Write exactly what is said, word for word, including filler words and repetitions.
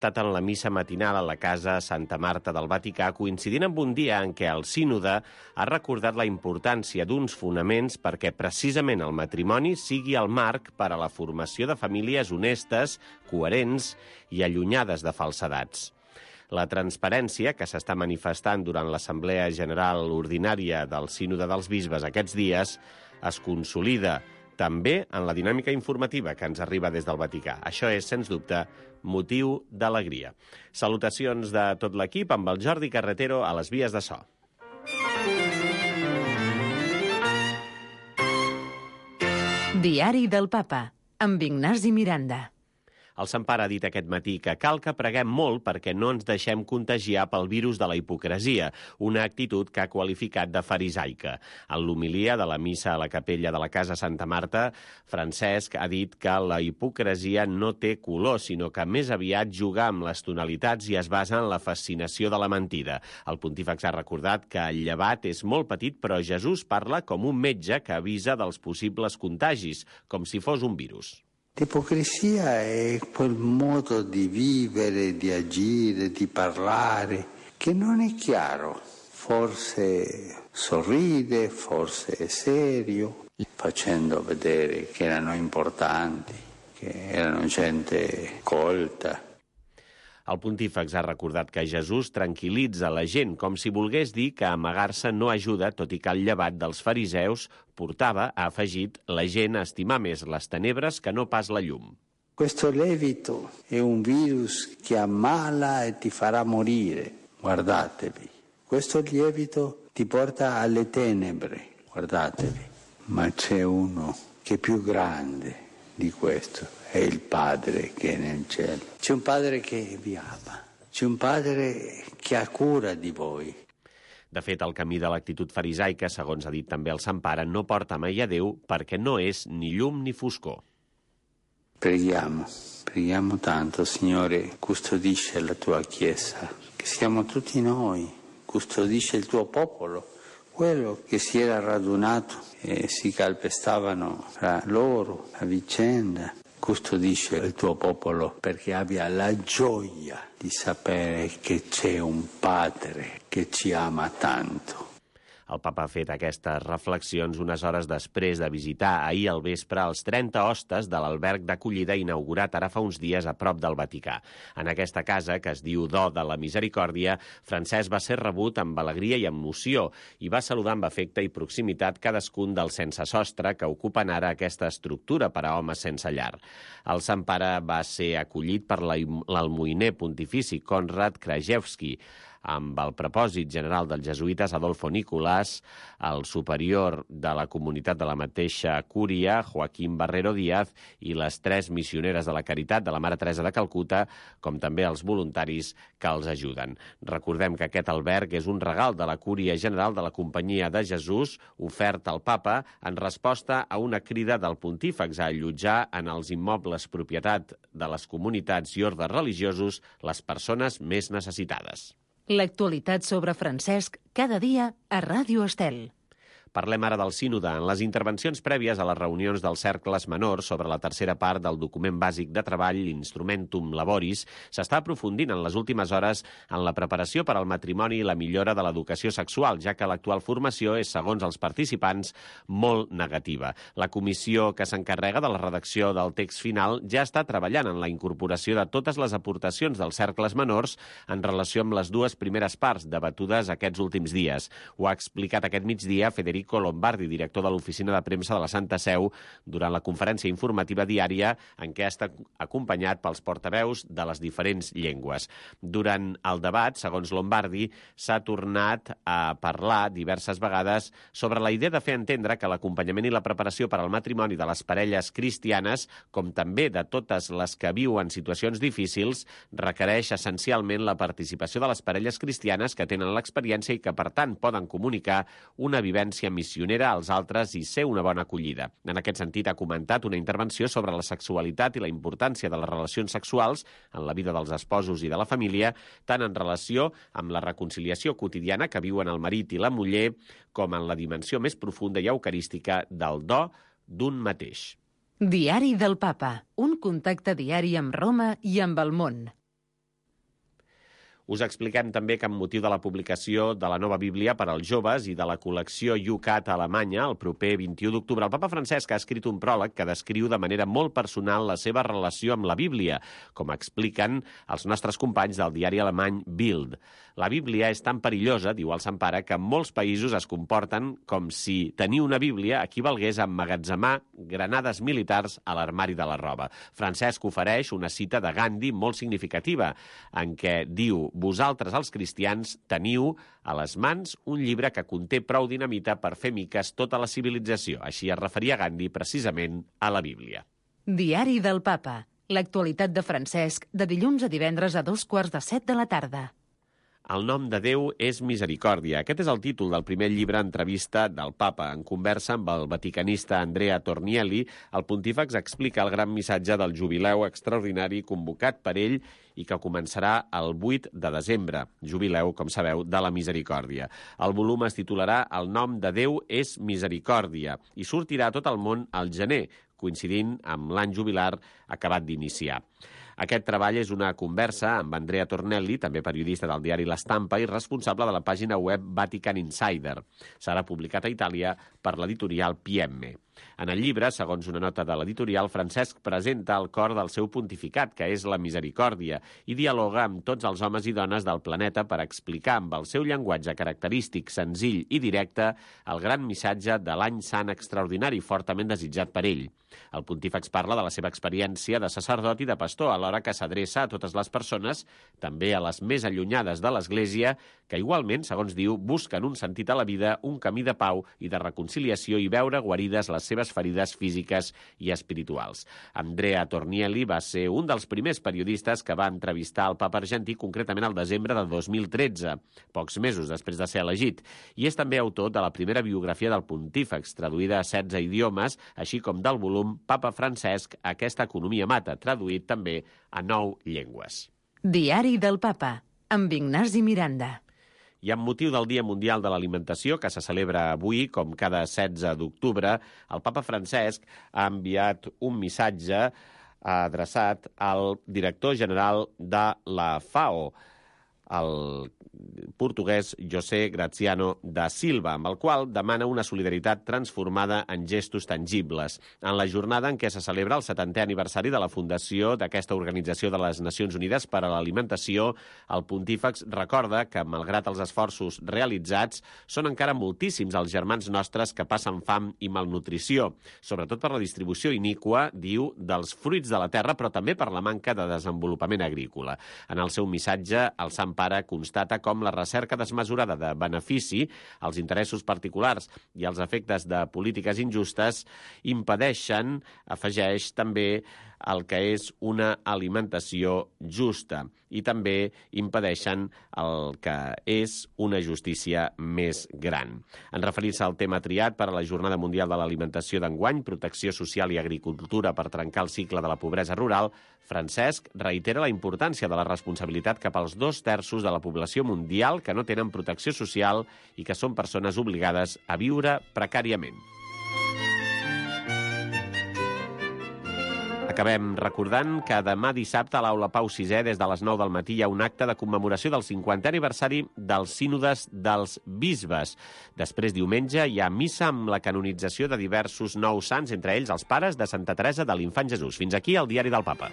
estat en la missa matinal a la Casa Santa Marta del Vaticà, coincidint amb un dia en què el sínode ha recordat la importància d'uns fonaments perquè precisament el matrimoni sigui el marc per a la formació de famílies honestes, coherents i allunyades de falsedats. La transparència que s'està manifestant durant l'Assemblea General Ordinària del Sínode dels Bisbes aquests dies es consolida també en la dinàmica informativa que ens arriba des del Vaticà. Això és, sens dubte, motiu d'alegria. Salutacions de tot l'equip amb el Jordi Carretero a les vies de so. Diari del Papa, amb Ignasi Miranda. El Sant Pare ha dit aquest matí que cal que preguem molt perquè no ens deixem contagiar pel virus de la hipocresia, una actitud que ha qualificat de farisaica. En l'homilia de la missa a la capella de la Casa Santa Marta, Francesc ha dit que la hipocresia no té color, sinó que més aviat juga amb les tonalitats i es basa en la fascinació de la mentida. El pontífex ha recordat que el llevat és molt petit, però Jesús parla com un metge que avisa dels possibles contagis, com si fos un virus. L'ipocrisia è quel modo di vivere, di agire, di parlare, che non è chiaro. Forse sorride, forse è serio, facendo vedere che erano importanti, che erano gente colta. El pontífex ha recordat que Jesús tranquil·litza la gent, com si volgués dir que amagar-se no ajuda, tot i que el llevat dels fariseus portava, ha afegit, la gent a estimar més les tenebres que no pas la llum. Questo lievito è un virus che ammala e ti farà morire, guardatevi. Questo lievito ti porta alle tenebre, guardatevi. Ma c'è uno che è più grande di questo. È il Padre che è nel cielo. C'è un Padre che vi ama. C'è un Padre che ha cura di voi. De fet, el camí de l'actitud farisaica, segons ha dit també el Sant Pare, no porta mai a Déu perquè no és ni llum ni foscor. Preghiamo, preghiamo tanto, Signore, custodisce la tua Chiesa, che siamo tutti noi, custodisce il tuo popolo, quello che si era radunato e si calpestavano fra loro a vicenda. Custodisce il tuo popolo perché abbia la gioia di sapere che c'è un Padre che ci ama tanto. El papa ha fet aquestes reflexions unes hores després de visitar ahir al vespre els trenta hostes de l'alberg d'acollida inaugurat ara fa uns dies a prop del Vaticà. En aquesta casa, que es diu Do de la Misericòrdia, Francesc va ser rebut amb alegria i emoció i va saludar amb afecte i proximitat cadascun dels sense sostre que ocupen ara aquesta estructura per a homes sense llar. El Sant Pare va ser acollit per l'almoiner pontifici Konrad Krajewski, amb el propòsit general dels jesuïtes Adolfo Nicolás, el superior de la comunitat de la mateixa cúria, Joaquim Barrero Díaz, i les tres missioneres de la Caritat de la Mare Teresa de Calcuta, com també els voluntaris que els ajuden. Recordem que aquest alberg és un regal de la Cúria General de la Companyia de Jesús, ofert al papa en resposta a una crida del pontífex a allotjar en els immobles propietat de les comunitats i ordes religiosos les persones més necessitades. L'actualitat sobre Francesc cada dia a Ràdio Estel. Parlem ara del sínode. En les intervencions prèvies a les reunions dels cercles menors sobre la tercera part del document bàsic de treball, l'Instrumentum Laboris, s'està aprofundint en les últimes hores en la preparació per al matrimoni i la millora de l'educació sexual, ja que l'actual formació és, segons els participants, molt negativa. La comissió que s'encarrega de la redacció del text final ja està treballant en la incorporació de totes les aportacions dels cercles menors en relació amb les dues primeres parts debatudes aquests últims dies. Ho ha explicat aquest migdia Federico Lombardi, director de l'Oficina de Premsa de la Santa Seu, durant la conferència informativa diària en què ha estat acompanyat pels portaveus de les diferents llengües. Durant el debat, segons Lombardi, s'ha tornat a parlar diverses vegades sobre la idea de fer entendre que l'acompanyament i la preparació per al matrimoni de les parelles cristianes, com també de totes les que viuen situacions difícils, requereix essencialment la participació de les parelles cristianes que tenen l'experiència i que, per tant, poden comunicar una vivència missionera als altres i ser una bona acollida. En aquest sentit, ha comentat una intervenció sobre la sexualitat i la importància de les relacions sexuals en la vida dels esposos i de la família, tant en relació amb la reconciliació quotidiana que viuen el marit i la muller, com en la dimensió més profunda i eucarística del do d'un mateix. Diari del Papa, un contacte diari amb Roma i amb el món. Us expliquem també que amb motiu de la publicació de la nova Bíblia per als joves i de la col·lecció YouCat a Alemanya, el proper vint-i-u d'octubre, el papa Francesc ha escrit un pròleg que descriu de manera molt personal la seva relació amb la Bíblia, com expliquen els nostres companys del diari alemany Bild. La Bíblia és tan perillosa, diu el Sant Pare, que en molts països es comporten com si tenir una Bíblia equivalgués a emmagatzemar granades militars a l'armari de la roba. Francesc ofereix una cita de Gandhi molt significativa, en què diu: vosaltres, els cristians, teniu a les mans un llibre que conté prou dinamita per fer miques tota la civilització. Així es referia Gandhi precisament a la Bíblia. Diari del Papa. L'actualitat de Francesc, de dilluns a divendres a dos quarts de set de la tarda. El nom de Déu és misericòrdia. Aquest és el títol del primer llibre entrevista del papa. En conversa amb el vaticanista Andrea Tornielli, el pontífex explica el gran missatge del jubileu extraordinari convocat per ell i que començarà el vuit de desembre, jubileu, com sabeu, de la misericòrdia. El volum es titularà El nom de Déu és misericòrdia i sortirà a tot el món al gener, coincidint amb l'any jubilar acabat d'iniciar. Aquest treball és una conversa amb Andrea Tornelli, també periodista del diari L'Estampa i responsable de la pàgina web Vatican Insider. Serà publicat a Itàlia per l'editorial P M. En el llibre, segons una nota de l'editorial, Francesc presenta el cor del seu pontificat, que és la misericòrdia, i dialoga amb tots els homes i dones del planeta per explicar amb el seu llenguatge característic, senzill i directe el gran missatge de l'any sant extraordinari, fortament desitjat per ell. El pontífex parla de la seva experiència de sacerdot i de pastor, alhora que s'adreça a totes les persones, també a les més allunyades de l'Església, que igualment, segons diu, busquen un sentit a la vida, un camí de pau i de reconciliació i veure guarides les seves ferides físiques i espirituals. Andrea Tornielli va ser un dels primers periodistes que va entrevistar el papa argentí, concretament al desembre del dos mil tretze, pocs mesos després de ser elegit, i és també autor de la primera biografia del pontífex, traduïda a setze idiomes, així com del volum Papa Francesc, aquesta economia mata, traduït també a nou llengües. Diari del Papa, amb Ignasi Miranda. I amb motiu del Dia Mundial de l'Alimentació, que se celebra avui, com cada setze d'octubre, el papa Francesc ha enviat un missatge adreçat al director general de la FAO, el portuguès José Graziano da Silva, amb el qual demana una solidaritat transformada en gestos tangibles. En la jornada en què se celebra el setantè aniversari de la fundació d'aquesta Organització de les Nacions Unides per a l'Alimentació, el pontífex recorda que, malgrat els esforços realitzats, són encara moltíssims els germans nostres que passen fam i malnutrició, sobretot per la distribució iníqua, diu, dels fruits de la terra, però també per la manca de desenvolupament agrícola. En el seu missatge, el Sant Pare constata com la recerca desmesurada de benefici, els interessos particulars i els efectes de polítiques injustes impedeixen, afegeix també, el que és una alimentació justa i també impedeixen el que és una justícia més gran. En referir-se al tema triat per a la Jornada Mundial de l'Alimentació d'enguany, protecció social i agricultura per trencar el cicle de la pobresa rural, Francesc reitera la importància de la responsabilitat cap als dos terços de la població mundial que no tenen protecció social i que són persones obligades a viure precàriament. Acabem recordant que demà dissabte a l'Aula Pau sisè, des de les nou del matí, hi ha un acte de commemoració del cinquantè aniversari dels sínodes dels bisbes. Després, diumenge, hi ha missa amb la canonització de diversos nous sants, entre ells els pares de Santa Teresa de l'Infant Jesús. Fins aquí el Diari del Papa.